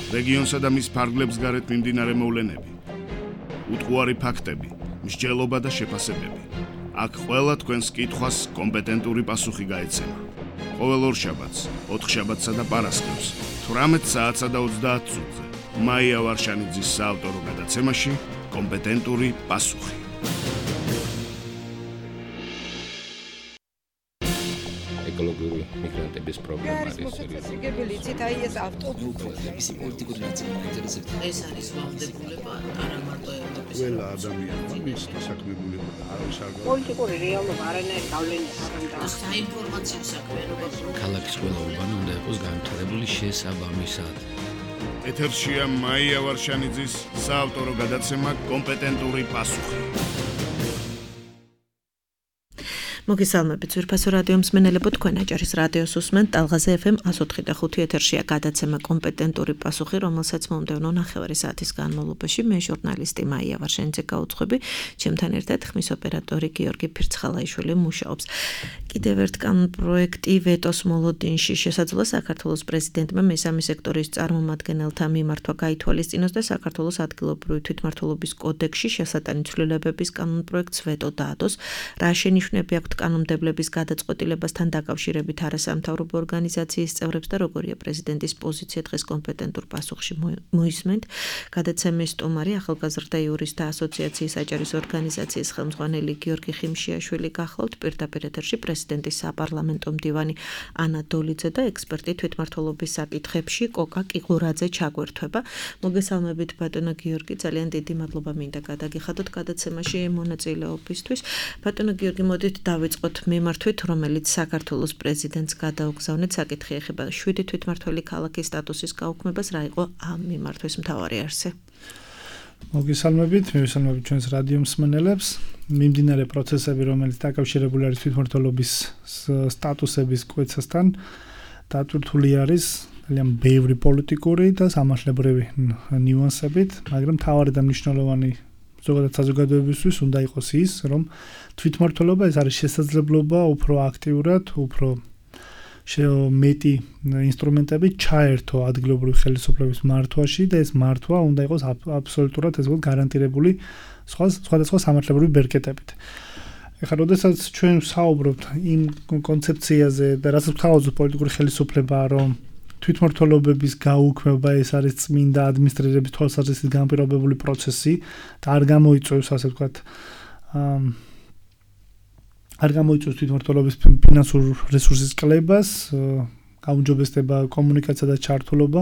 რეგიონსა და მის ფარგლებს გარეთ მიმდინარე მოვლენები, უტყუარი ფაქტები, მსჯელობა და შეფასებები. აქ ყველა თქვენს კითხვას კომპეტენტური პასუხი გაეცემა. ყოველ ორშაბათს, ოთხშაბათსა და პარასკევს, 18 საათსა და 30 წუთზე, მაია ვარშანიძის საავტორო გადაცემაში კომპეტენტური პასუხი. ეკოლოგიური მიგრანტების პრობლემა არის მოსაცილებელი იცით აი ეს ავტობუსების პოლიტიკური ნაწილი მაინტერესებს. ეს არის ვალდებულება არა მარტო ევროპის ყველა ადამიანმა მის დასაქმებულება არის არ პოლიტიკური რეალობა არანაირი გავლენა არ აქვს. საინფორმაციო საქმიანობა ქალაქის ყველა უბანი უნდა იყოს განვითარებული შესაბამისად. ეთერშია მაია ვარშანიძის საავტორო გადაცემა კომპეტენტური პასუხი. მოგესალმებით ძვირფასო რადიო მსმენელებო, თქვენ აჭარის რადიოს უსმენთ ტალღაზე FM 104.5 ეთერშია გადაცემა კომპეტენტური პასუხი, რომელსაც მომდევნო ნახევარი საათის განმავლობაში მე ჟურნალისტი მაია ვარშანიძე გაუძღვები, ჩემთან ერთად ხმის ოპერატორი გიორგი ფირცხალაიშვილი მუშაობს. კიდევ ერთ კანონპროექტი ვეტოს მოლოდინში შესაძლოა საქართველოს პრეზიდენტმა მესამე სექტორის წარმომადგენელთა მიმართვა გაითვალისწინოს და საქართველოს ადგილობრივი თვითმმართველობის კოდექსში შესატანი ცვლილებების კანონპროექტს ვეტო დაადოს. რა შენიშვნები აქვთ კანონმდებლების გადაწყვეტილებასთან დაკავშირებით არასამთავრობო ორგანიზაციის წევრებს და როგორია პრეზიდენტის პოზიცია დღეს კომპეტენტურ პასუხში მოისმენთ. გადაცემის სტუმარი ახალგაზრდა იურისტთა ასოციაციის აჭარის ორგანიზაციის ხელმძღვანელი გიორგი ხიმშიაშვილი გახლავთ, პირდაპირ ეთერში პრეზიდენტის საპარლამენტო მდივანი ანა დოლიძე და ექსპერტი თვითმმართველობის საკითხებში კოკა კიღურაძე ჩაგვერთვება. მოგესალმებით ბატონო გიორგი, ძალიან დიდი მადლობა მინდა გადაგიხადოთ გადაცემაში მონაწილეობისთვის. ბატონო გიორგი, მოდით დავიწყოთ მიმართვით, რომელიც საქართველოს პრეზიდენტს გადაუგზავნეთ. საკითხი ეხება 7 თვითმმართველი ქალაქის სტატუსის გაუქმებას. რა იყო ამ მიმართვის მთავარი არსი? მოგესალმებით, მივესალმებით ჩვენს რადიო მსმენელებს. მიმდინარე პროცესები, რომელიც დაკავშირებული არის თვითმმართველობის სტატუსების კვეთასთან, დატვირთული არის ძალიან ბევრი პოლიტიკური და სამართლებრივი ნიუანსებით, მაგრამ მთავარი და მნიშვნელოვანი ზოგადად საზოგადოებისთვის უნდა იყოს ის, რომ თვითმმართველობა ეს არის შესაძლებლობა უფრო აქტიურად, უფრო მეტი ინსტრუმენტები ჩაერთო ადგილობრივი ხელისუფლების მართვაში და ეს მართვა უნდა იყოს აბსოლუტურად ესე ვთქვათ გარანტირებული სხვადასხვა სამართლებრივი ბერკეტებით. ეხლა როდესაც ჩვენ ვსაუბრობთ იმ კონცეფციაზე და რასაც ვთავაზობთ პოლიტიკური ხელისუფლება, რომ თვითმმართველობების გაუქმება ეს არის წმინდა ადმინისტრირების თვალსაზრისით განპირობებული პროცესი და არ გამოიწვევს ასე ვთქვათ არ გამოიწვევს თვითმმართველობის ფინანსურ რესურსის კლებას, გაუმჯობესდება კომუნიკაცია და ჩართულობა.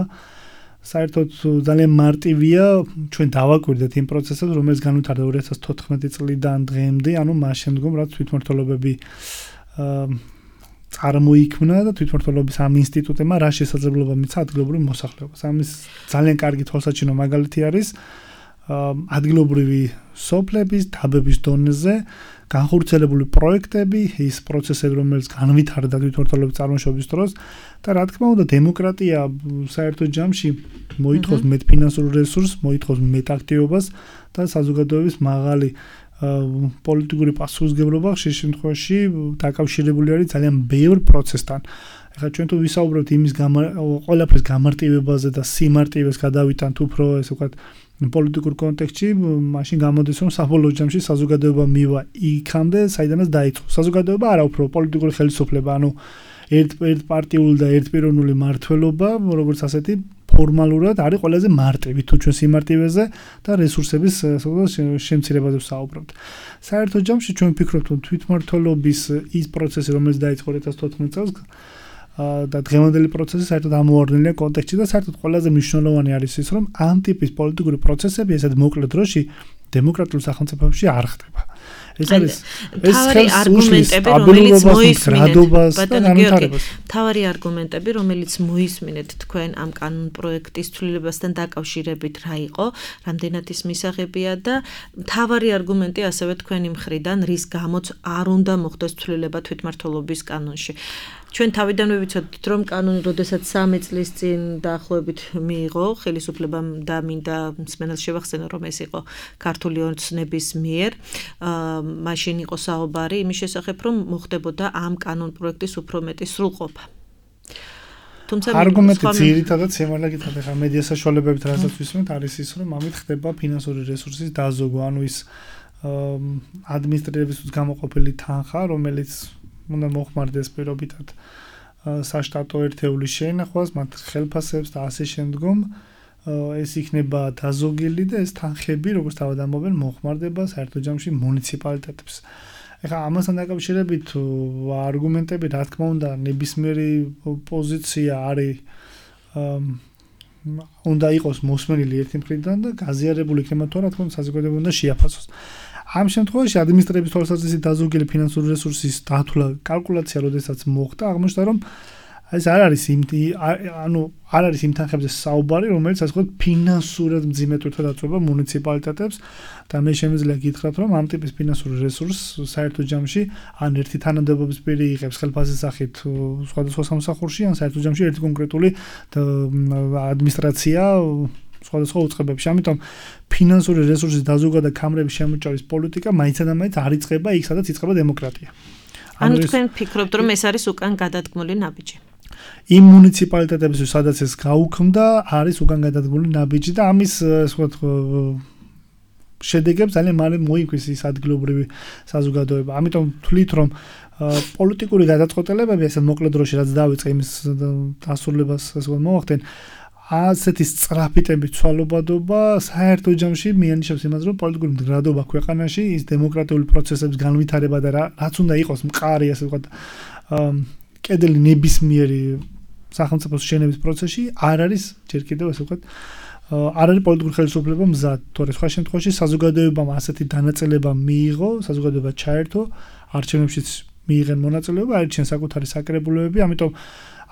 საერთოდ ძალიან მარტივია ჩვენ დავაკვირდეთ იმ პროცესებს, რომელიც განვითარდა 2014 წლიდან დღემდე, ანუ მას შემდგომ, რაც თვითმმართველობები წარმოიქმნა და თვითმმართველობის ამ ინსტიტუტებმა რა შესაძლებლობა მიცა ადგილობრივ მოსახლეობას. ამის ძალიან კარგი თვალსაჩინო მაგალითი არის ადგილობრივი სოფლების დაბების დონეზე განხორციელებული პროექტები, ის პროცესები, რომელიც განვითარდა თვითმმართველობის წარმოშობის დროს და რა თქმა უნდა დემოკრატია საერთო ჯამში მოითხოვს მეტ ფინანსურ რესურსს, მოითხოვს მეტ აქტივობას და საზოგადოების მაღალი პოლიტიკური პასუხისმგებლობა ხშირ შემთხვევაში დაკავშირებული არის ძალიან ბევრ პროცესთან. ეხლა ჩვენ თუ ვისაუბრებთ იმის ყველაფრის გამარტივებაზე და სიმარტივეს გადავიტანთ უფრო ესე ვთქვათ პოლიტიკურ კონტექსტში, მაშინ გამოდის რომ საბოლოო ჯამში საზოგადოება მივა იქამდე, საიდანაც დაიწყო. საზოგადოება არა უფრო პოლიტიკური ხელისუფლება, ანუ ერთპარტიული და ერთპიროვნული მმართველობა, როგორც ასეთი ფორმალურად არის ყველაზე მარტივი თუ ჩვენ სიმარტივეზე და რესურსების შემცირებაზე ვსაუბრობთ. საერთო ჯამში ჩვენ ვფიქრობთ, რომ თვითმმართველობის ის პროცესი, რომელიც დაიწყო 2014 წელს და დღევანდელი პროცესი საერთოდ ამოვარდნილია კონტექსტში და საერთოდ ყველაზე მნიშვნელოვანი არის ის, რომ ამ ტიპის პოლიტიკური პროცესები ესეთ მოკლე დროში დემოკრატიულ სახელმწიფოებში არ ხდება. ეს არის თავარი არგუმენტები, რომელიც მოისმინეთ. თავარი არგუმენტები, რომელიც მოისმინეთ თქვენ ამ კანონპროექტის ცვლილებასთან დაკავშირებით რა იყო, რამდენად ის მისაღებია და თავარი არგუმენტი ასევე თქვენი მხრიდან, რის გამოც არ უნდა მოხდეს ცვლილება თვითმმართველობის კანონში. ჩვენ თავიდანვე ვიცოდით, რომ კანონი, როდესაც 3 წლის წინ დაახლოებით მიიღო ხელისუფლებამ და მინდა მსმენელს შევახსენო, რომ ეს იყო ქართული ოცნების მიერ, მაშინ იყო საუბარი იმის შესახებ, რომ მოხდებოდა ამ კანონპროექტის უფრო მეტი სრულყოფა. თუმცა არგუმენტი ძირითადად შემალა გითხრათ ახლა მედია საშუალებებით რასაც ვისმენთ არის ის რომ ამით ხდება ფინანსური რესურსის დაზოგვა ანუ ის ადმინისტრირების გამოყოფილი თანხა რომელიც უნდა მოხმარდეს პირობითად საშტატო ერთეულის შეინახვას მათ ხელფასებს და ასე შემდგომ ეს იქნება დაზოგილი და ეს თანხები როგორც თავად ამბობენ მოხმარდება საერთო ჯამში მუნიციპალიტეტებს ეხლა ამასთან დაკავშირებით არგუმენტები რა თქმა უნდა ნებისმიერი პოზიცია არის უნდა იყოს მოსმენილი ერთი მხრიდან და გაზიარებული იქნება თუ რა თქმა უნდა საზოგადოება უნდა შეაფასოს ამ შემთხვევაში ადმინისტრების თვალსაზრისით დაზოგილი ფინანსური რესურსის დათვლა კალკულაცია როდესაც მოხდა აღმოჩნდა რომ ეს არ არის იმ თანხებზე საუბარი რომელიც ასე ვთქვათ ფინანსურად მძიმე თვითონ აწვება მუნიციპალიტეტებს და მე შემიძლია გითხრათ რომ ამ ტიპის ფინანსური რესურსს საერთო ჯამში ან ერთი თანამდებობის პირი იღებს ხელფასის სახით სხვადასხვა სამსახურში ან საერთო ჯამში ერთი კონკრეტული ადმინისტრაცია სხვადასხვა უწყებებში. ამიტომ ფინანსური რესურსის დაზოგვა და კამრების შემოჭრის პოლიტიკა მაინც და მაინც არ იწყება იქ, სადაც იწყება დემოკრატია. ანუ თქვენ ფიქრობთ, რომ ეს არის უკან გადადგმული ნაბიჯი? იმ მუნიციპალიტეტებში, სადაც ეს გაუქმდა, არის უკან გადადგმული ნაბიჯი და ამის ასე ვთქვათ შედეგებს ძალიან მალე მოიგვის ის ადგილობრივი საზოგადოება. ამიტომ ვთვლით, რომ პოლიტიკური გადაწყვეტილებები ესე მოკლედ დროში რაც დავიწყე იმის დასრულებას ასე ვთქვათ მოახდენ ასეთი სწრაფიტებით ცვალობადობა საერთო ჯამში მიანიშნებს იმას, რომ პოლიტიკური მდგრადობა ქვეყანაში ის დემოკრატიული პროცესების განვითარება და რაც უნდა იყოს მყარი, ასე ვთქვათ, კედელი ნებისმიერი სახელმწიფოს შენების პროცესში არ არის ჯერ კიდევ ასე ვთქვათ, არ არის პოლიტიკური ხელისუფლება მზად. თორე სხვა შემთხვევაში საზოგადოებამ ასეთი დანაწილება მიიღო, საზოგადოება ჩაერთო, არჩევნებშიც მიიღენ მონაწილეობა, აირჩიენ საკუთარი საკრებულოები, ამიტომ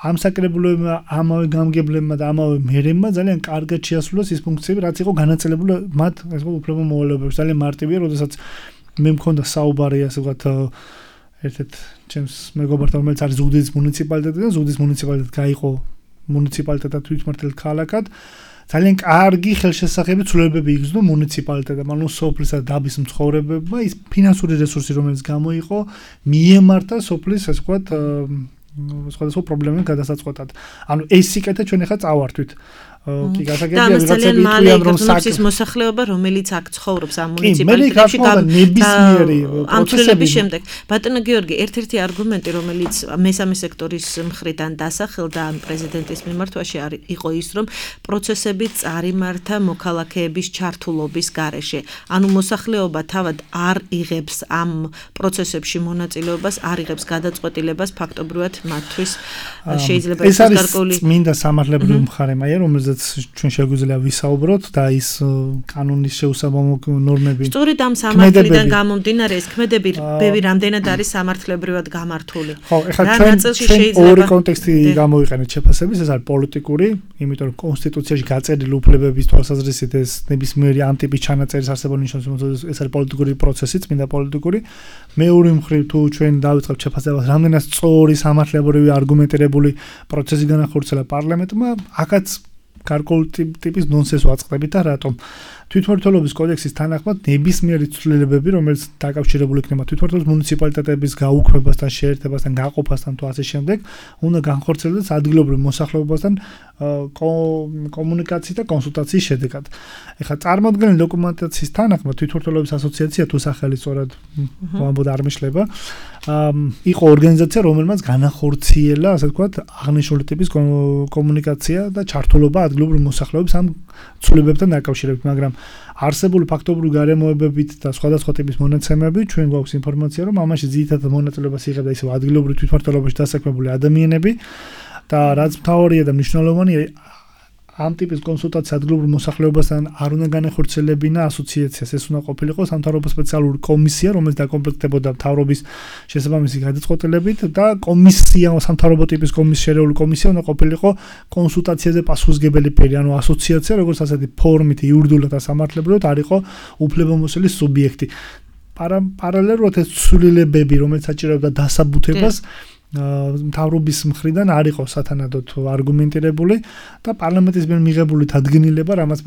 ამ საკრებულოებმა, ამავე გამგებლებმა და ამავე მერებმა ძალიან კარგად შეასრულეს ის ფუნქციები, რაც იყო განაწილებული მათ, ასე ვთქვათ, უფლებო მოვალეობებში. ძალიან მარტივია, როდესაც მე მქონდა საუბარი, ასე ვთქვათ, ერთ-ერთ ჩემს მეგობართან, რომელიც არის ზუგდიდის მუნიციპალიტეტიდან, ზუგდიდის მუნიციპალიტეტი გაიყო მუნიციპალიტეტად თვითმმართველ ქალაქად. ძალიან კარგი ხელშესახები ცვლილებები იგრძნო მუნიციპალიტეტამ, ანუ სოფლის და დაბის მცხოვრებებმა ის ფინანსური რესურსი, რომელიც გამოიყო, მიემართა სოფლის, ასე ვთქვათ, სხვადასხვა პრობლემების გადასაწყვეტად. ანუ ეს სიკეთე ჩვენ ახლა წავართვით. კი გასაგებია ვიღაცები თქვენ რომ საკის მოსახლეობა რომელიც აქ ცხოვრობს ამ მუნიციპალიტეტში ნებისმიერი პროცესების შემდეგ ბატონო გიორგი ერთ-ერთი არგუმენტი რომელიც მესამე სექტორის მხრიდან დასახელდა ამ პრეზიდენტის მიმართვაში იყო ის რომ პროცესები წარიმართა მოქალაქეების ჩართულობის გარეშე ანუ მოსახლეობა თავად არ იღებს ამ პროცესებში მონაწილეობას არ იღებს გადაწყვეტილებას ფაქტობრივად მათთვის შეიძლება ის გარკვეული მინდა სამართლებრივი მხარე მაია რომელზეც ჩვენ შეგვიძლია ვისაუბროთ და ის კანონის შეუსაბამო ნორმები სწორედ ამ სამართლიდან გამომდინარე ეს ქმედები ბევრი რამდენად არის სამართლებრივად გამართული ხო ეხლა ჩვენ ორი კონტექსტი გამოვიყენეთ შეფასების ეს არის პოლიტიკური იმიტომ რომ კონსტიტუციაში გაწერილი უფლებების თვალსაზრისით ეს ნებისმიერი ამ ტიპის ჩანაწერის არსებობა ნიშნავს ეს არის პოლიტიკური პროცესი წმინდა პოლიტიკური მეორე მხრივ თუ ჩვენ დავიწყებთ შეფასებას რამდენად სწორი სამართლებრივი არგუმენტირებული პროცესი განახორციელა პარლამენტმა აქაც გარკვეული ტიპის ნონსენსს ვაწყდებით და რატომ თვითმმართველობის კოდექსის თანახმად ნებისმიერი ცვლილებები რომელიც დაკავშირებული იქნება თვითმმართველობის მუნიციპალიტეტების გაუქმებასთან შეერთებასთან გაყოფასთან თუ ასე შემდეგ უნდა განხორციელდეს ადგილობრივ მოსახლეობასთან კომუნიკაციის და კონსულტაციის შედეგად. ეხლა წარმოადგენელი დოკუმენტაციის თანახმად თვითმმართველობის ასოციაცია თუ სახელი სწორად ვამბობ არ მეშლება იყო ორგანიზაცია რომელმაც განახორციელა ასე ვთქვათ აღნიშნული ტიპის კომუნიკაცია და ჩართულობა ადგილობრივ მოსახლეობის ამ ცვლილებებთან დაკავშირებით მაგრამ არსებული ფაქტობრივი გარემოებებით და სხვადასხვა ტიპის მონაცემებით ჩვენ გვაქვს ინფორმაცია რომ ამაში ძირითადად მონაწილეობას იღებდა ისევ ადგილობრივ თვითმმართველობაში დასაქმებული ადამიანები და რაც მთავარია და მნიშვნელოვანია ამ ტიპის კონსულტაცია ადგილობრივ მოსახლეობასთან არ უნდა განახორციელებინა ასოციაციას ეს უნდა ყოფილიყო სამთავრობო სპეციალური კომისია რომელიც დაკომპლექტებოდა მთავრობის შესაბამისი გადაწყვეტილებით და კომისია სამთავრობო ტიპის შერეული კომისია უნდა ყოფილიყო კონსულტაციაზე პასუხისმგებელი პირი ანუ ასოციაცია როგორც ასეთი ფორმით იურიდიულად და სამართლებრივად არ იყო უფლებამოსილი სუბიექტი პარალელურად ეს ცვლილებები რომელიც საჭიროებდა დასაბუთებას მთავრობის მხრიდან არ იყო სათანადოდ არგუმენტირებული და პარლამენტის მიერ მიღებული დადგენილება, რამაც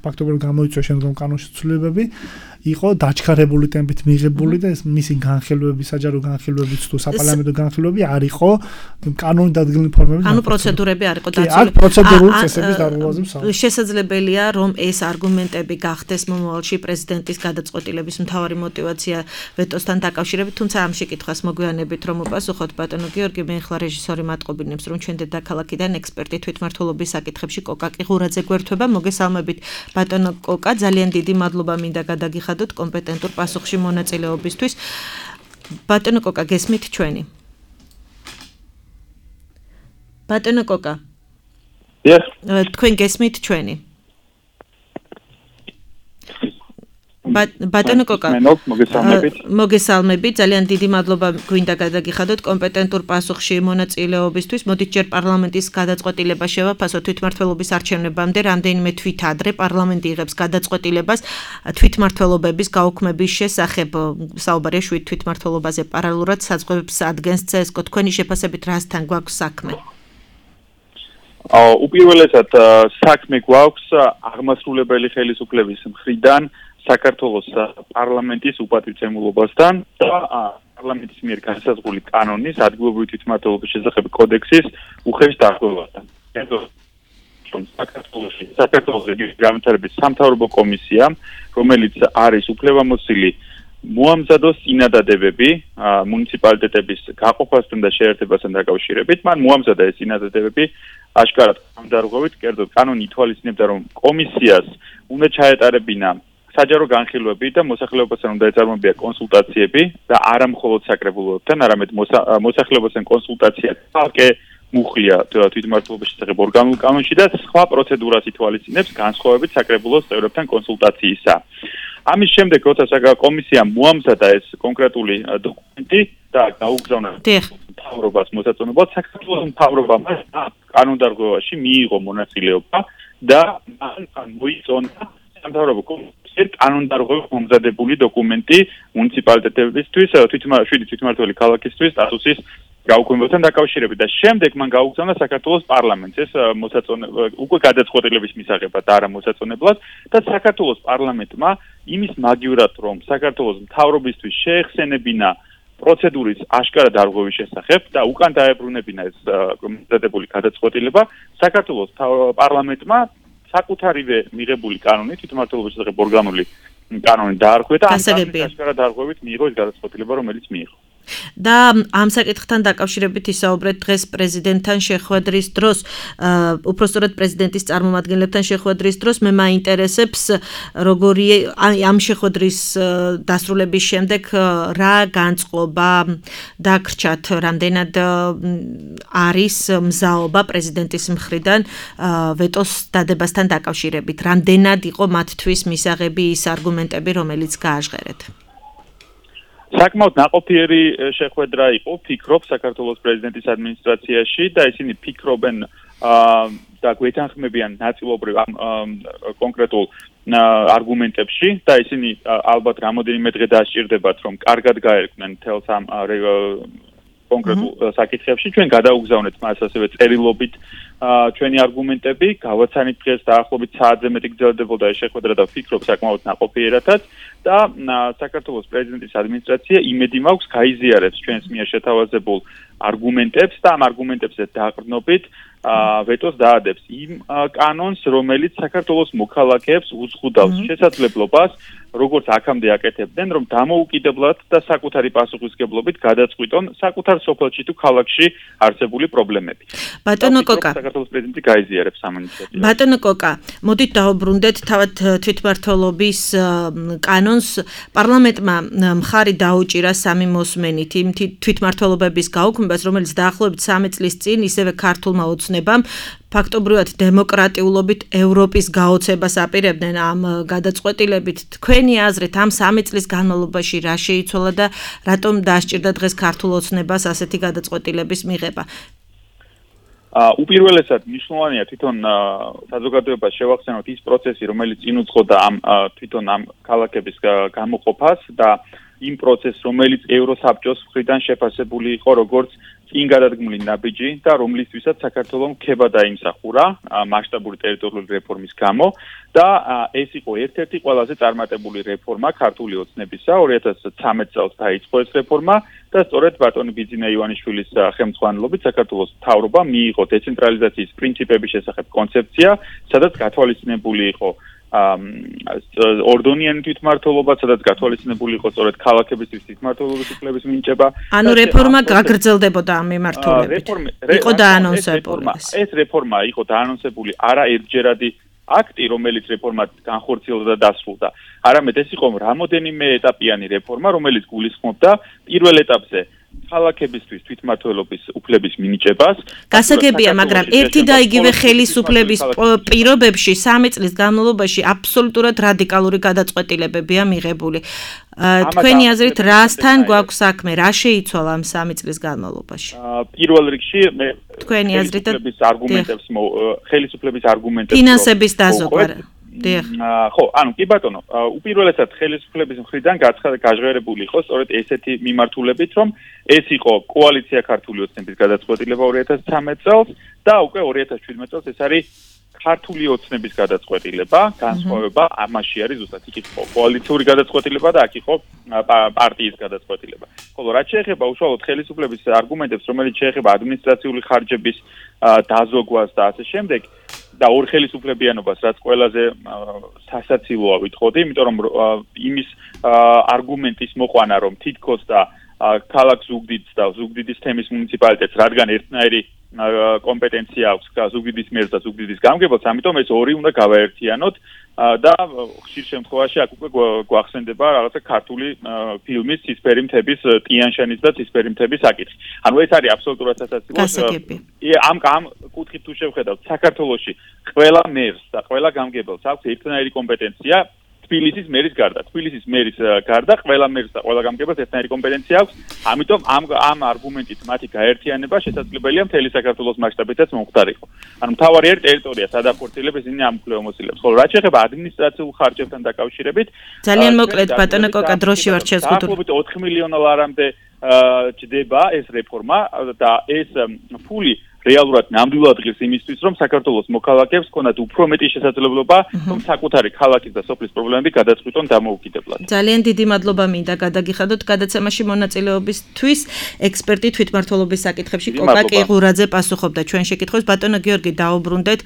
ფაქტობრივად გამოიწვია შემდგომ კანონში ცვლილებები, იყო დაჩქარებული ტემპით მიღებული და ეს მისი განხილვები, საჯარო განხილვებიც თუ საპარლამენტო განხილვები არ იყო კანონით დადგენილი ფორმებით. ანუ პროცედურები არ იყო დაცული. აქ პროცედურული წესების დარღვევაზე ვსაუბრობ. შესაძლებელია, რომ ეს არგუმენტები გახდეს მომავალში პრეზიდენტის გადაწყვეტილების მთავარი мотиваცია ვეტოსთან დაკავშირებით, თუმცა ამ შეკითხვას მოგვიანებით რომ უპასუხოთ ბატონო გიორგი, მე ახლა რეჟისორი მატყობინებს, რომ ჩვენ დედაქალაქიდან ექსპერტი თვითმმართველობის საკითხებში კოკა ყიღურაძე გვერდება. მოგესალმებით ბატონო კოკა, ძალიან დიდი მადლობა მინდა გადაგიხადოთ კომპეტენტურ პასუხში მონაწილეობისთვის. ბატონო კოკა, გესმით ჩვენი? ბატონო კოკა. თქვენ გესმით ჩვენი? ბატონო კოკა, მოგესალმებით, ძალიან დიდი მადლობა გვინდა გადაგიხადოთ კომპეტენტურ პასუხში მონაწილეობისთვის. მოდით ჯერ პარლამენტის გადაწყვეტილება შევაფასოთ თვითმმართველობის არჩევნებამდე, რამდენიმე თვით ადრე პარლამენტი იღებს გადაწყვეტილებას თვითმმართველობების გაუქმების შესახებ. საუბარია 7 თვითმმართველობაზე პარალელურად საზღვრებს ადგენს CSKO. თქვენი შეფასებით რასთან გვაქვს საქმე? უპირველესად საქმე გვაქვს აღმასრულებელი ხელისუფლების მხრიდან საქართველოს პარლამენტის უპატივცემულობასთან და პარლამენტის მიერ განსაზღვრული კანონის ადგილობრივი თვითმმართველობის შესახებ კოდექსის უხეშ დარღვევასთან. საქართველოს რეგიონის განვითარების სამთავრობო კომისიამ, რომელიც არის უფლებამოსილი მოამზადოს წინადადებები მუნიციპალიტეტების გაყოფასთან და შეერთებასთან დაკავშირებით, მან მოამზადა ეს წინადადებები აშკარად დარღვევით, კერძოდ კანონი ითვალისწინებდა, რომ კომისიას უნდა ჩაეტარებინა საჯარო განხილვები და მოსახლეობასთან უნდა ეწარმოებია კონსულტაციები და არა მხოლოდ საკრებულოებთან, არამედ მოსახლეობასთან კონსულტაცია თალკე მუხლია თვითმმართველობის შესახებ ორგანულ კანონში და სხვა პროცედურას ითვალისწინებს განსხვავებით საკრებულოს წევრებთან კონსულტაციისა. ამის შემდეგ, როცა კომისიამ მოამზადა ეს კონკრეტული დოკუმენტი და გაუგზავნა მთავრობას მოსაწონებლად, საქართველოს მთავრობამ კანონდარღვევაში მიიღო მონაწილეობა და მან მოიწონა სამთავრობო კომისიამ კანონდარღვევით მომზადებული დოკუმენტი მუნიციპალიტეტებისთვის, თვითმმართველი ქალაქისთვის სტატუსის გაუქმებასთან დაკავშირებით და შემდეგ მან გაუგზავნა საქართველოს პარლამენტს ეს მოსაწონებლად უკვე გადაწყვეტილების მისაღებად და არა მოსაწონებლად და საქართველოს პარლამენტმა იმის მაგივრად რომ საქართველოს მთავრობისთვის შეეხსენებინა პროცედურის აშკარა დარღვევის შესახებ და უკან დაებრუნებინა ეს მომზადებული გადაწყვეტილება საქართველოს პარლამენტმა საკუთარივე მიღებული კანონი თვითმმართველობის შესახებ ორგანული კანონი დაარღვია და ამ აშკარა დარღვევით მიიღო ეს გადაწყვეტილება რომელიც მიიღო. და ამ საკითხთან დაკავშირებით ისაუბრეთ დღეს პრეზიდენტთან შეხვედრის დროს, უпростоრად პრეზიდენტის წარმომადგენლებთან შეხვედრის დროს, მე მაინტერესებს როგორი ამ შეხვედრის დასრულების შემდეგ რა განწყობა დაგრჩათ, რამდენად არის მზაობა პრეზიდენტის მხრიდან ვეტოს დადებასთან დაკავშირებით, რამდენად იყო მათთვის მისაღები ის არგუმენტები, რომელიც გააჟღერეთ. საკმაოდ ნაყოფიერი შეხვედრა იყო, ფიქრობ საქართველოს პრეზიდენტის ადმინისტრაციაში და ისინი ფიქრობენ და გვეთანხმებიან ნაწილობრივ ამ კონკრეტულ არგუმენტებში და ისინი ალბათ რამოდენიმე დღე დასჭირდებათ, რომ კარგად გაერკვნენ თელს ამ კონკრეტულ საკითხებში. ჩვენ გადაუგზავნეთ მას ასევე წერილობით ჩვენი არგუმენტები, გავაცანით დღეს დაახლოებით საათზე მეტი გრძელდებოდა ეს შეხვედრა და ვფიქრობ საკმაოდ ნაყოფიერათაც და საქართველოს პრეზიდენტის ადმინისტრაცია იმედი მაქვს გაიზიარებს ჩვენს მიერ შეთავაზებულ არგუმენტებს და ამ არგუმენტებზე დაყრდნობით ვეტოს დაადებს იმ კანონს, რომელიც საქართველოს მოქალაქეებს უზღუდავს შესაძლებლობას, როგორც აქამდე აკეთებდნენ, რომ დამოუკიდებლად და საკუთარი პასუხისმგებლობით გადაწყვიტონ საკუთარ სოფელში თუ ქალაქში არსებული პრობლემები. ბატონო კოკა, საქართველოს პრეზიდენტი გაიზიარებს ამ ინიციატივას. ბატონო კოკა, მოდით დავუბრუნდეთ თავად თვითმმართველობის კანონს. პარლამენტმა მხარი დაუჭირა სამი მოსმენით იმ თვითმმართველობების გაუქმებას, რომელიც დაახლოებით 3 წლის წინ ისევე ქართულმა ოცნებამ ფაქტობრივად დემოკრატიულობით ევროპის გაოცებას აპირებდნენ ამ გადაწყვეტილებით. თქვენი აზრით ამ 3 წლის განმავლობაში რა შეიცვალა და რატომ დასჭირდა დღეს ქართულ ოცნებას ასეთი გადაწყვეტილების მიღება? უპირველესად მნიშვნელოვანია თვითონ საზოგადოებას შევახსენოთ ის პროცესი, რომელიც წინ უძღოდა ამ თვითონ ამ ქალაქების გამოყოფას და იმ პროცესს, რომელიც ევროსაბჭოს მხრიდან შეფასებული იყო როგორც წინ გადადგმული ნაბიჯი და რომლისთვისაც საქართველოს ქება დაიმსახურა მასშტაბური ტერიტორიული რეფორმის გამო და ეს იყო ერთ-ერთი ყველაზე წარმატებული რეფორმა ქართული ოცნებისა 2013 წელს დაიწყო ეს რეფორმა და სწორედ ბატონი ბიძინა ივანიშვილის ხელმძღვანელობით საქართველოს მთავრობა მიიღო დეცენტრალიზაციის პრინციპების შესახებ კონცეფცია, სადაც გათვალისწინებული იყო ორდონიანი თვითმმართველობა, სადაც გათვალისწინებული იყო სწორედ ქალაქებისთვის თვითმმართველობის უფლების მინიჭება. ანუ რეფორმა გაგრძელდებოდა ამ მიმართულებით. იყო დაანონსებული. ეს რეფორმა იყო დაანონსებული არა ერთჯერადი აქტი, რომელიც რეფორმად განხორციელდა და დასრულდა. არამედ ეს იყო რამოდენიმე ეტაპიანი რეფორმა, რომელიც გულისხმობდა პირველ ეტაპზე ქალაქებისთვის თვითმმართველობის უფლების მინიჭებას. გასაგებია, მაგრამ ერთი და იგივე ხელისუფლების პირობებში 3 წლის განმავლობაში აბსოლუტურად რადიკალური გადაწყვეტილებებია მიღებული. თქვენი აზრით, რასთან გვაქვს საქმე, რა შეიცვალა ამ 3 წლის განმავლობაში? პირველ რიგში მე თქვენი აზრით ხელისუფლების არგუმენტებს ფინანსების დაზოგვა. ხო, ანუ კი ბატონო, უპირველესად ხელისუფლების მხრიდან გაჟღერებული იყო სწორედ ესეთი მიმართულებით, რომ ეს იყო კოალიცია ქართული ოცნების გადაწყვეტილება 2013 წელს და უკვე 2017 წელს ეს არის ქართული ოცნების გადაწყვეტილება, განსხვავება ამაში არის ზუსტად იქ იყო კოალიციური გადაწყვეტილება და აქ იყო პარტიის გადაწყვეტილება. ხოლო რაც შეეხება უშუალოდ ხელისუფლების არგუმენტებს, რომელიც შეეხება ადმინისტრაციული ხარჯების დაზოგვას და ასე შემდეგ და ორ ხელისუფლებიანობას, რაც ყველაზე სასაცილოა ვიტყოდი, იმიტომ რომ იმის არგუმენტის მოყვანა, რომ თითქოს და ქალაქ ზუგდიდს და ზუგდიდის თემის მუნიციპალიტეტს, რადგან ერთნაირი კომპეტენცია აქვს ზუგდიდის მერს და ზუგდიდის გამგებელს, ამიტომ ეს ორი უნდა გავაერთიანოთ და ხშირ შემთხვევაში აქ უკვე გვახსენდება რაღაცა ქართული ფილმის ცისფერი მთების ტიან-შანის და ცისფერი მთების საკითხი. ანუ ეს არის აბსოლუტურად სასაცილო. ამ კუთხით თუ შევხედავთ, საქართველოში ყველა მერს და ყველა გამგებელს აქვს ერთნაირი კომპეტენცია თბილისის მერის გარდა. თბილისის მერის გარდა ყველა მერს და ყველა გამგებელს ერთნაირი კომპეტენცია აქვს. ამიტომ ამ არგუმენტით მათი გაერთიანება შესაძლებელია მთელი საქართველოს მასშტაბითაც მომხდარიყო. ანუ მთავარი ტერიტორია სადახორციელებს ისინი ამ უფლებამოსილებს. ხოლო რაც შეეხება ადმინისტრაციულ ხარჯებთან დაკავშირებით, ძალიან მოკლედ ბატონო კოკა დროში ვარ შეზღუდული. 4 მილიონ ლარამდე ჯდება ეს რეფორმა და ეს ფული რეალურად ნამდვილად ღირს იმისთვის, რომ საქართველოს მოქალაქეებს ქონათ უფრო მეტი შესაძლებლობა, რომ საკუთარი ქალაქის და სოფლის პრობლემები გადაწყვიტონ დამოუკიდებლად. ძალიან დიდი მადლობა მინდა გადაგიხადოთ გადაცემაში მონაწილეობისთვის. ექსპერტი თვითმმართველობის საკითხებში კოკა კიღურაძე პასუხობდა ჩვენ შეკითხვებს. ბატონო გიორგი, დაუბრუნდეთ.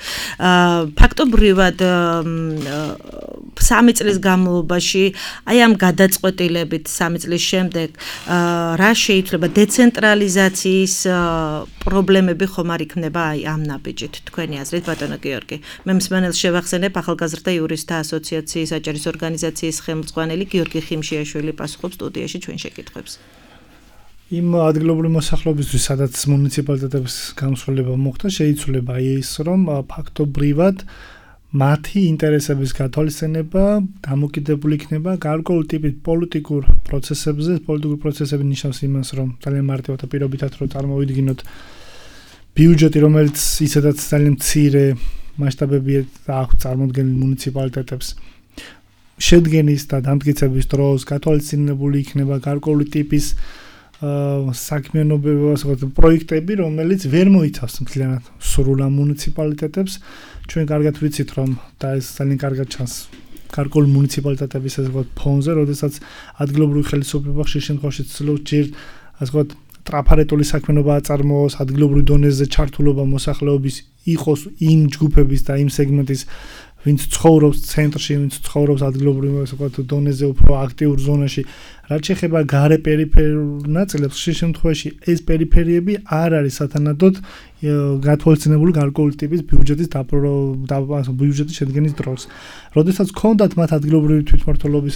ფაქტობრივად 3 წლის განმავლობაში, აი ამ გადაწყვეტილებით 3 წლის შემდეგ, რა შეიძლება დეცენტრალიზაციის პრობლემები ხომ არ იქნება აი ამ ნაბიჯით თქვენი აზრით ბატონო გიორგი მე მსმენელს შევახსენებ ახალგაზრდა იურისტთა ასოციაციის აჭარის ორგანიზაციის ხელმძღვანელი გიორგი ხიმშიაშვილი პასუხობს სტუდიაში ჩვენ შეკითხვებს იმ ადგილობრივი მოსახლეობისთვის სადაც მუნიციპალიტეტების გამსვლელება მოხდა შეიცვლება ის რომ ფაქტობრივად მათი ინტერესების გათვალისწინება დამოკიდებული იქნება გარკვეული ტიპის პოლიტიკურ პროცესებზე პოლიტიკური პროცესები ნიშნავს იმას რომ ძალიან მარტივად და პირობითად რომ წარმოვიდგინოთ ბიუჯეტი, რომელიც ისედაც ძალიან მცირე მასშტაბები აქვს წარმოქმნილი მუნიციპალიტეტებს შედგენის და დამტკიცების დროს გათვალისწინებული იქნება გარკვეული ტიპის საქმიანობების პროექტები, რომელიც ვერ მოიცავს მთლიანად სრულ ამ მუნიციპალიტეტებს. ჩვენ კარგად ვიცით, რომ და ეს ძალიან კარგად ჩანს გარკვეული მუნიციპალიტეტების ასე ვთქვათ ფონზე, როდესაც ადგილობრივი ხელისუფლება ხშირ შემთხვევაში ცდილობს ჯერ ასე ვთქვათ ტრაფარეტული საქმიანობა აწარმოოს, ადგილობრივ დონეზე ჩართულობა მოსახლეობის იყოს იმ ჯგუფების და იმ სეგმენტის, ვინც ცხოვრობს ცენტრში, ვინც ცხოვრობს ადგილობრივ ასე ვთქვათ დონეზე უფრო აქტიურ ზონაში. რაც შეეხება გარე პერიფერულ ნაწილებს, ხშირ შემთხვევაში ეს პერიფერიები არ არის სათანადოდ გათვალისწინებული გარკვეული ტიპის ბიუჯეტის ბიუჯეტის შედგენის დროს. როდესაც ჰქონდათ მათ ადგილობრივი თვითმმართველობის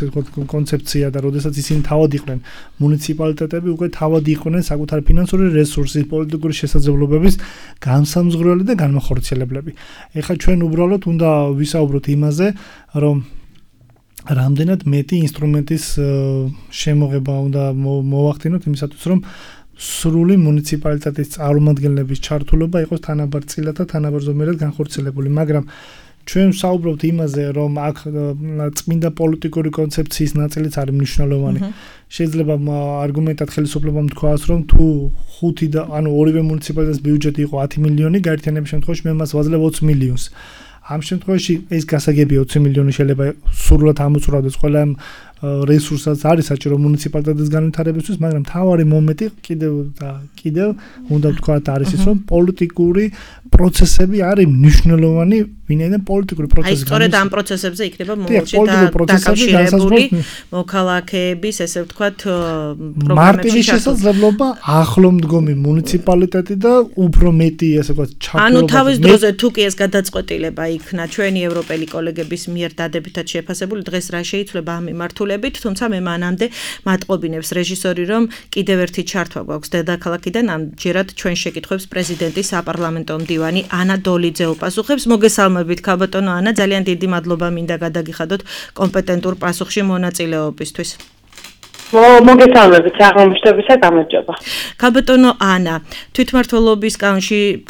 კონცეფცია და როდესაც ისინი თავად იყვნენ მუნიციპალიტეტები, უკვე თავად იყვნენ საკუთარი ფინანსური რესურსის, პოლიტიკური შესაძლებლობების განსამზღვრელი და განმახორციელებლები. ეხლა ჩვენ უბრალოდ უნდა ვისაუბროთ იმაზე, რომ რამდენად მეტი ინსტრუმენტის შემოღება უნდა მოვახდინოთ იმისათვის, რომ სრული მუნიციპალიტეტის წარმომადგენლების ჩართულობა იყოს თანაბარ წილად და თანაბარ ზომიერად განხორციელებული, მაგრამ ჩვენ საუბრობთ იმაზე, რომ აქ წმინდა პოლიტიკური კონცეფციის ნაწილიც არის მნიშვნელოვანი. შეიძლება არგუმენტად ხელისუფლებამ თქვას, რომ თუ 5 და ანუ ორივე მუნიციპალიტეტის ბიუჯეტი იყო 10 მილიონი, გაერთიანების შემთხვევაში მე მას ვაძლევ 20 მილიონს. ამ შემთხვევაში ეს გასაგებია 20 მილიონი შეიძლება სრულად ამოწურავდეს ყველა რესურსაც არის საჭირო მუნიციპალიტეტის განვითარებისთვის, მაგრამ თავარი მომენტი კიდევ უნდა ვთქვათ არის ის, რომ პოლიტიკური პროცესები არის მნიშვნელოვანი, ვინაიდან პოლიტიკური პროცესი. აი, სწორედ ამ პროცესებზე იქნება მომავალში დაკავშირებული მოქალაქეების, ესე ვთქვათ, პროგრამებში მარტივი შესაძლებლობა ახლო მდგომი მუნიციპალიტეტი და უფრო მეტი, ესე ვთქვათ, ჩართულობა. ანუ თავის დროზე თუ კი ეს გადაწყვეტილება იქნა ჩვენი ევროპელი კოლეგების მიერ დადებითად შეფასებული, დღეს რა შეიცვლება ამ მიმართულებით, თუმცა მე მანამდე მატყობინებს რეჟისორი, რომ კიდევ ერთი ჩართვა გვაქვს დედაქალაქიდან, ამჯერად ჩვენ შეკითხვებს პრეზიდენტი საპარლამენტო მდივანი ანა დოლიძე უპასუხებს. მოგესალმებით ქალბატონო ანა, ძალიან დიდი მადლობა მინდა გადაგიხადოთ კომპეტენტურ პასუხში მონაწილეობისთვის. მოგესალმებით, აღმოჩნდებისა გამარჯობა. ქალბატონო ანა, თვითმმართველობის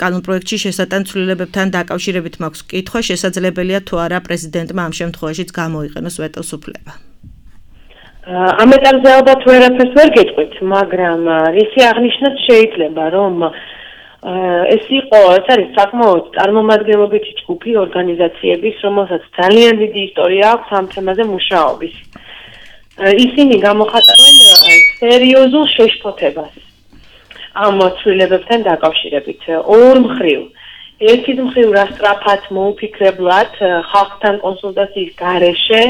კანონპროექტში შესატან ცვლილებებთან დაკავშირებით მაქვს კითხვა, შესაძლებელია თუ არა პრეზიდენტმა ამ შემთხვევაშიც გამოიყენოს ვეტოს უფლება. ამ ეტაპზე ალბათ ვერაფერს ვერ გეტყვით, მაგრამ ისი აღნიშნოთ შეიძლება, რომ ეს არის საკმაოდ წარმომადგენლობითი ჯგუფი ორგანიზაციების, რომელსაც ძალიან დიდი ისტორია აქვს ამ თემაზე მუშაობის. ისინი გამოხატავენ სერიოზულ შეშფოთებას ამ ცვლილებებთან დაკავშირებით. ორ მხრივ. ერთი მხრივ რა სწრაფად მოუფიქრებლად ხალხთან კონსულტაციის გარეშე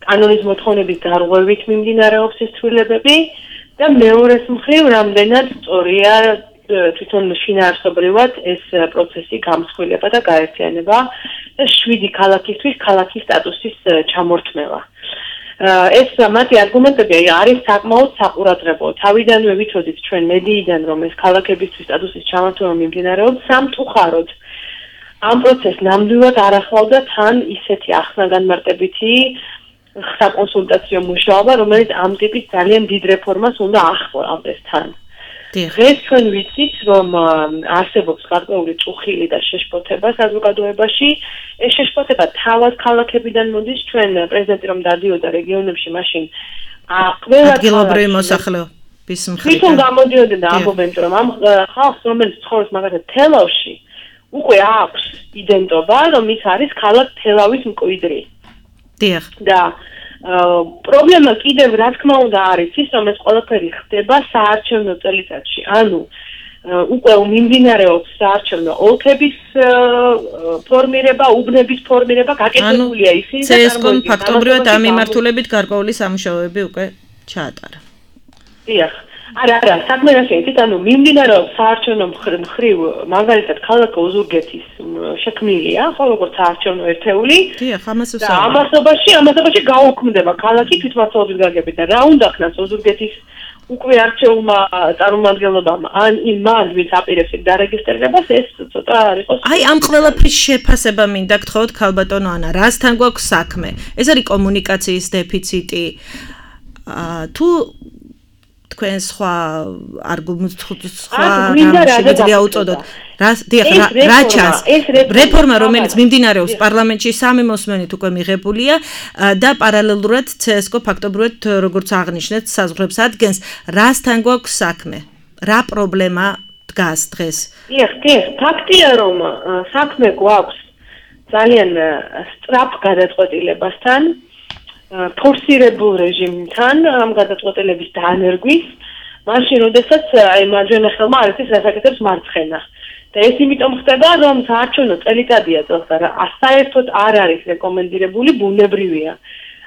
კანონის მოთხოვნების გარღვევით მიმდინარეობს ეს ცვლილებები და მეორეს მხრივ რამდენად სწორია თვითონ შინაარსობრივად ეს პროცესი გამსხვილება და გაერთიანება და 7 ქალაქისთვის ქალაქის სტატუსის ჩამორთმევა. ეს მათი არგუმენტები არის საკმაოდ საყურადღებო. თავიდანვე ვიცოდით ჩვენ მედიიდან, რომ ეს ქალაქებისთვის სტატუსის ჩამორთმევა მიმდინარეობს სამწუხაროდ. ამ პროცესს ნამდვილად არ ახლავდა თან ისეთი ახსნა-განმარტებითი საკონსულტაციო მუშაობა, რომელიც ამ ტიპის ძალიან დიდ რეფორმას უნდა ახმოვანდეს თან. დღეს ჩვენ ვიცით, რომ არსებობს გარკვეული წუხილი და შეშფოთება საზოგადოებაში. ეს შეშფოთება თავად ქალაქებიდან მოდის, ჩვენ პრეზიდენტი რომ დადიოდა რეგიონებში, მაშინ ყველა ადგილობრივი მოსახლეობის მხრიდან თვითონ გამოდიოდა და ამბობენ, რომ ამ ხალხს, რომელიც ცხოვრობს მაგალითად თელავში, უკვე აქვს იდენტობა, რომ ის არის ქალაქ თელავის მკვიდრი. დიახ. და პრობლემა კიდევ რა თქმა უნდა არის ის, რომ ეს ყველაფერი ხდება საარჩევნო წელიწადში. ანუ უკვე მიმდინარეობს საარჩევნო ოლქების ფორმირება, უბნების ფორმირება, გაკეთებულია ისინი და CSGO-მ ფაქტობრივად ამ მიმართულებით გარკვეული სამუშაოები უკვე ჩაატარა. დიახ. არა, საქმე რა შეიძლება, ანუ მიმდინარეობს საარჩევნო მხრივ, მაგალითად, ქალაქ ოზურგეთის შექმნილია, ხო, როგორც საარჩევნო ერთეული. დიახ, ამას და ამასობაში გაუქმდება ქალაქი თვითმმართველობის გაგებით და რა უნდა ხნას ოზურგეთის უკვე არჩეულმა წარმომადგენლობამ ან იმ მან ვინც აპირებს დარეგისტრირებას ეს ცოტა არ იყოს. აი ამ ყველაფრის შეფასება მინდა გთხოვოთ ქალბატონო ანა, რასთან გვაქვს საქმე? ეს არის კომუნიკაციის დეფიციტი. თუ თქვენ სხვა შეგვიძლია უწოდოთ. რა ჩანს? რეფორმა, რომელიც მიმდინარეობს პარლამენტში, სამი მოსმენით უკვე მიღებულია და პარალელურად CSGO ფაქტობრივად როგორც აღნიშნეთ, საზღვრებს ადგენს. რასთან გვაქვს საქმე? რა პრობლემა დგას დღეს? დიახ, ფაქტია, რომ საქმე გვაქვს ძალიან სწრაფ გადაწყვეტილებასთან. ფორსირებულ რეჟიმთან ამ გადაწყვეტილების დაანერგვის, მაშინ როდესაც აი მარჯვენა ხელმა არ იცის რას აკეთებს მარცხენა. და ეს იმიტომ ხდება, რომ საარჩევნო წელიწადია წელს და საერთოდ არ არის რეკომენდირებული, ბუნებრივია.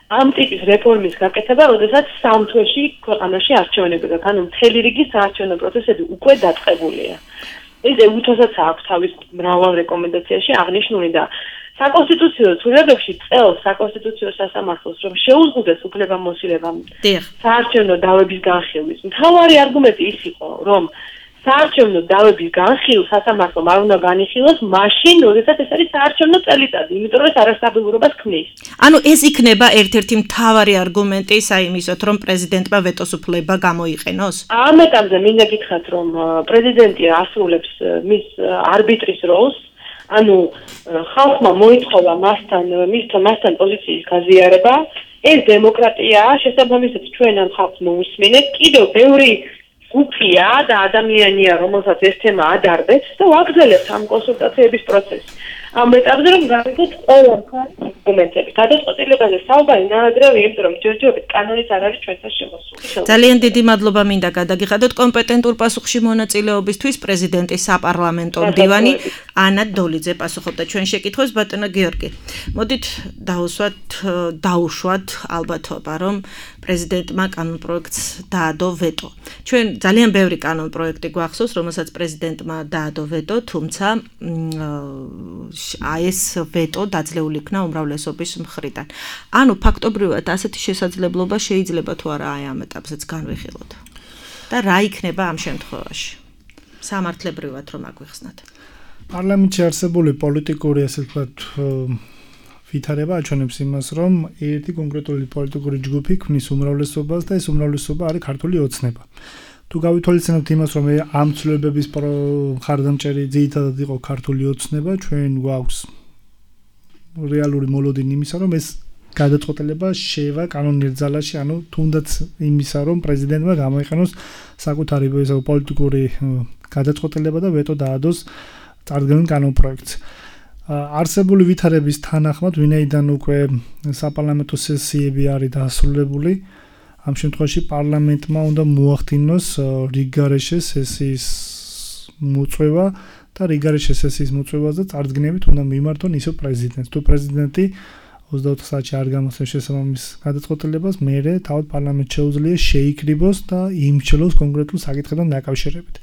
ამ ტიპის რეფორმის გაკეთება, როდესაც სამ თვეში ქვეყანაში არჩევნები გაქვს, ანუ მთელი რიგი საარჩევნო პროცესები უკვე დაწყებულია. ეს უთოსაც აქვს თავის მრავალ რეკომენდაციაში აღნიშნული და საკონსტიტუციო ცვლილებებში წელს საკონსტიტუციო სასამართლოს რომ შეუზღუდეს უფლებამოსილებამ საარჩევნო დავების განხილვის. მთავარი არგუმენტი ის იყო, რომ საარჩევნო დავების განხილვა სასამართლომ არ უნდა განიხილოს მაშინ, როდესაც ეს არის საარჩევნო წელიწადი, იმიტომ რომ ეს არასტაბილურობას ქმნის. ანუ ეს იქნება ერთ-ერთი მთავარი არგუმენტი საიმისოთ, რომ პრეზიდენტმა ვეტოს უფლება გამოიყენოს? ამ ეტაპზე მინდა გითხრათ, რომ პრეზიდენტი ასრულებს მის არბიტრის როლს. ანუ ხალხმა მოითხოვა მასთან პოზიციის გაზიარება. ეს დემოკრატიაა, შესაბამისად ჩვენ ამ ხალხს მოусმინეთ. კიდევ ბევრი გუფია და ადამიანია, რომელსაც ეს თემა ადარდებს და ვაგრძელებთ ამ კონსულტაციების პროცესს. ამ ეტაპზე რომ გავიგოთ ყველა მხარის არგუმენტები. გადაწყვეტილებაზე საუბარი ნაადრევი, იმიტომ რომ ჯერჯერობით კანონიც არ არის ჩვენთან შემოსული. ძალიან დიდი მადლობა მინდა გადაგიხადოთ კომპეტენტურ პასუხში მონაწილეობისთვის პრეზიდენტი საპარლამენტო მდივანი ანა დოლიძე პასუხობდა ჩვენ შეკითხვებს. ბატონო გიორგი, მოდით დაუშვათ ალბათობა, რომ პრეზიდენტმა კანონპროექტს დაადო ვეტო. ჩვენ ძალიან ბევრი კანონპროექტი გვახსოვს, რომელსაც პრეზიდენტმა დაადო ვეტო, თუმცა ეს ვეტო დაძლეული იქნა უმრავლესობის მხრიდან. ანუ ფაქტობრივად ასეთი შესაძლებლობა შეიძლება თუ არა აი ამ ეტაპზეც განვიხილოთ. და რა იქნება ამ შემთხვევაში? სამართლებრივად რომ აგვიხსნათ. პარლამენტში არსებული პოლიტიკური ასე ვთქვათ ვითარება აჩვენებს იმას, რომ ერთი კონკრეტული პოლიტიკური ჯგუფი ქმნის უმრავლესობას და ეს უმრავლესობა არის ქართული ოცნება. თუ გავითვალისწინებთ იმას, რომ ამ ცვლილებების მხარდამჭერი ძირითადად იყო ქართული ოცნება, ჩვენ გვაქვს რეალური მოლოდინი იმისა, რომ ეს გადაწყვეტილება შევა კანონიერ ძალაში, ანუ თუნდაც იმისა, რომ პრეზიდენტმა გამოიყენოს საკუთარი პოლიტიკური გადაწყვეტილება და ვეტო დაადოს წარდგენილ კანონპროექტს. არსებული ვითარების თანახმად, ვინაიდან უკვე საპარლამენტო სესიები არის დასრულებული, ამ შემთხვევაში პარლამენტმა უნდა მოახდინოს რიგგარეშე სესიის მოწვევა და რიგგარეშე სესიის მოწვევაზე წარდგენებით უნდა მიმართონ ისო პრეზიდენტს. თუ პრეზიდენტი 24 საათში არ გამოსცემს შესაბამის გადაწყვეტილებას, მერე თავად პარლამენტს შეუძლია შეიკრიბოს და იმჩნევოს კონკრეტულ საკითხებთან დაკავშირებით.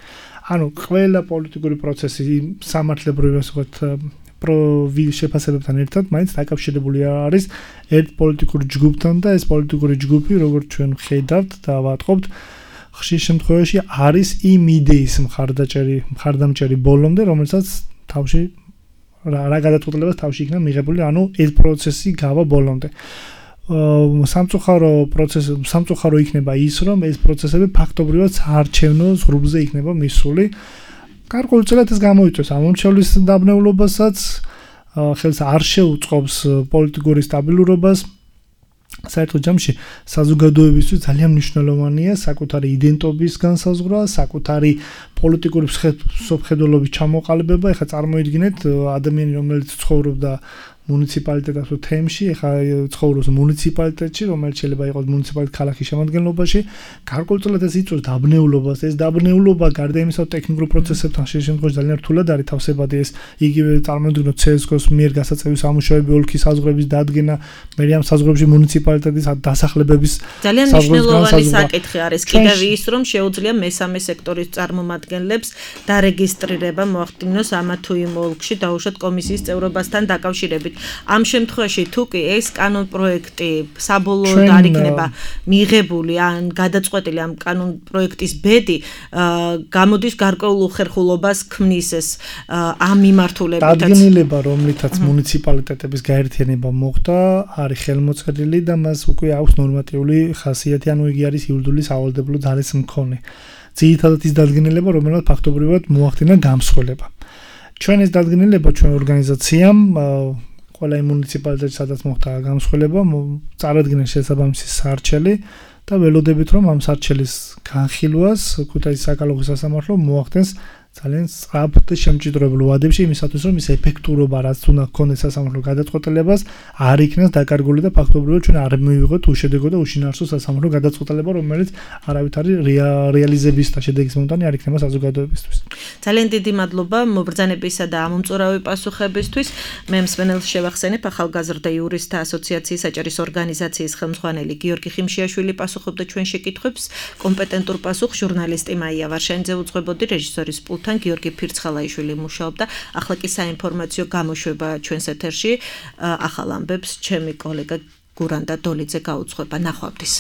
ანუ ყველა პოლიტიკური პროცესი სამართლებრივი ვთქვათ შეფასებებთან ერთად მაინც დაკავშირებული არის ერთ პოლიტიკურ ჯგუფთან და ეს პოლიტიკური ჯგუფი, როგორც ჩვენ ხედავთ და ვატყობთ, ხშირ შემთხვევაში არის იმ იდეის მხარდამჭერი ბოლომდე, რომელსაც თავში რა გადაწყვეტილებას თავში იქნა მიღებული, ანუ ეს პროცესი გავა ბოლომდე. სამწუხარო იქნება ის, რომ ეს პროცესები ფაქტობრივად საარჩევნო ზღვრებზე იქნება მისული. გარკვეულწილად ეს გამოიწვევს ამომრჩევლის დაბნეულობასაც, ხელს არ შეუწყობს პოლიტიკური სტაბილურობას. საერთოდ ჯამში საზოგადოებისთვის ძალიან მნიშვნელოვანია საკუთარი იდენტობის განსაზღვრა, საკუთარი პოლიტიკური მსოფლმხედველობის ჩამოყალიბება. ეხლა წარმოიდგინეთ ადამიანი, რომელიც ცხოვრობდა მუნიციპალიტეტის თემში, ეხლა ცხოვრობს მუნიციპალიტეტში, რომელიც შეიძლება იყოს მუნიციპალიტეტის ქალაქის შემადგენლობაში, გარკვეულწილად ეს იწვევს დაბნეულობას. ეს დაბნეულობა გარდა იმისა, რომ ტექნიკურ პროცესებთან ხშირ შემთხვევაში ძალიან რთულად არის თავსებადი, ეს იგივე წარმოიდგინოთ CSGO-ს მიერ გასაწევი სამუშაოები, ოლქის საზღვრების დადგენა, მე ამ საზღვრებში მუნიციპალიტეტის დასახლებების ძალიან მნიშვნელოვანი საკითხი არის კიდევ ის, რომ შეუძლია მესამე სექტორის წარმომადგენლებს დარეგისტრირება მოახდინოს ამა თუ იმ ოლქში დაუშვათ კომისიის წევრობასთან დაკავშირებით. ამ შემთხვევაში თუ კი ეს კანონპროექტი საბოლოოდ არ იქნება მიღებული ან გადაწყვეტილი ამ კანონპროექტის ბედი გამოდის გარკვეულ უხერხულობას ქმნის ეს ამ მიმართულებითაც. დადგენილება, რომლითაც მუნიციპალიტეტების გაერთიანება მოხდა, არის ხელმოწერილი და მას უკვე აქვს ნორმატიული ხასიათი, ანუ იგი არის იურიდიული სავალდებულო ძალის მქონე. ძირითადად ის დადგენილება, რომელსაც ფაქტობრივად მოახდინა გამსხვილება. ჩვენ ეს დადგენილება ჩვენ ორგანიზაციამ ყველა იმ მუნიციპალიტეტში, სადაც მოხდა გამსხვილება, წარადგინეს შესაბამისი სარჩელი და ველოდებით, რომ ამ სარჩელის განხილვას ქუთაისის საკალათბურთო სასამართლო მოახდენს ძალიან სწრაფ და შემჭიდროებულ ვადებში, იმისათვის, რომ ის ეფექტურობა, რაც უნდა ჰქონდეს სასამართლო გადაწყვეტილებას, არ იქნას დაკარგული და ფაქტობრივად ჩვენ არ მივიღოთ უშედეგო და უშინაარსო სასამართლო გადაწყვეტილება, რომელიც არავითარი რეალიზების და შედეგის მომტანი არ იქნება საზოგადოებისთვის. ძალიან დიდი მადლობა მობრძანებისა და ამომწურავი პასუხებისთვის. მე მსმენელს შევახსენებ, ახალგაზრდა იურისტთა ასოციაციის საჭირის ორგანიზაციის ხელმძღვანელი გიორგი ხიმშიაშვილი პასუხობდა ჩვენ შეკითხვებს, კომპეტენტურ პასუხს ჟურნალისტი მაია ვარშანიძე უძღვებოდი, რეჟისორის პულტთან გიორგი ფირცხალაიშვილი მუშაობდა. ახლა კი საინფორმაციო გამოშვება ჩვენს ეთერში. ახალ ამბებს ჩემი კოლეგა გურანდა დოლიძე გაუძღვება. ნახვამდის.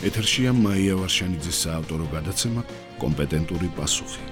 ეთერშია მაია ვარშანიძის საავტორო გადაცემა კომპეტენტური პასუხი.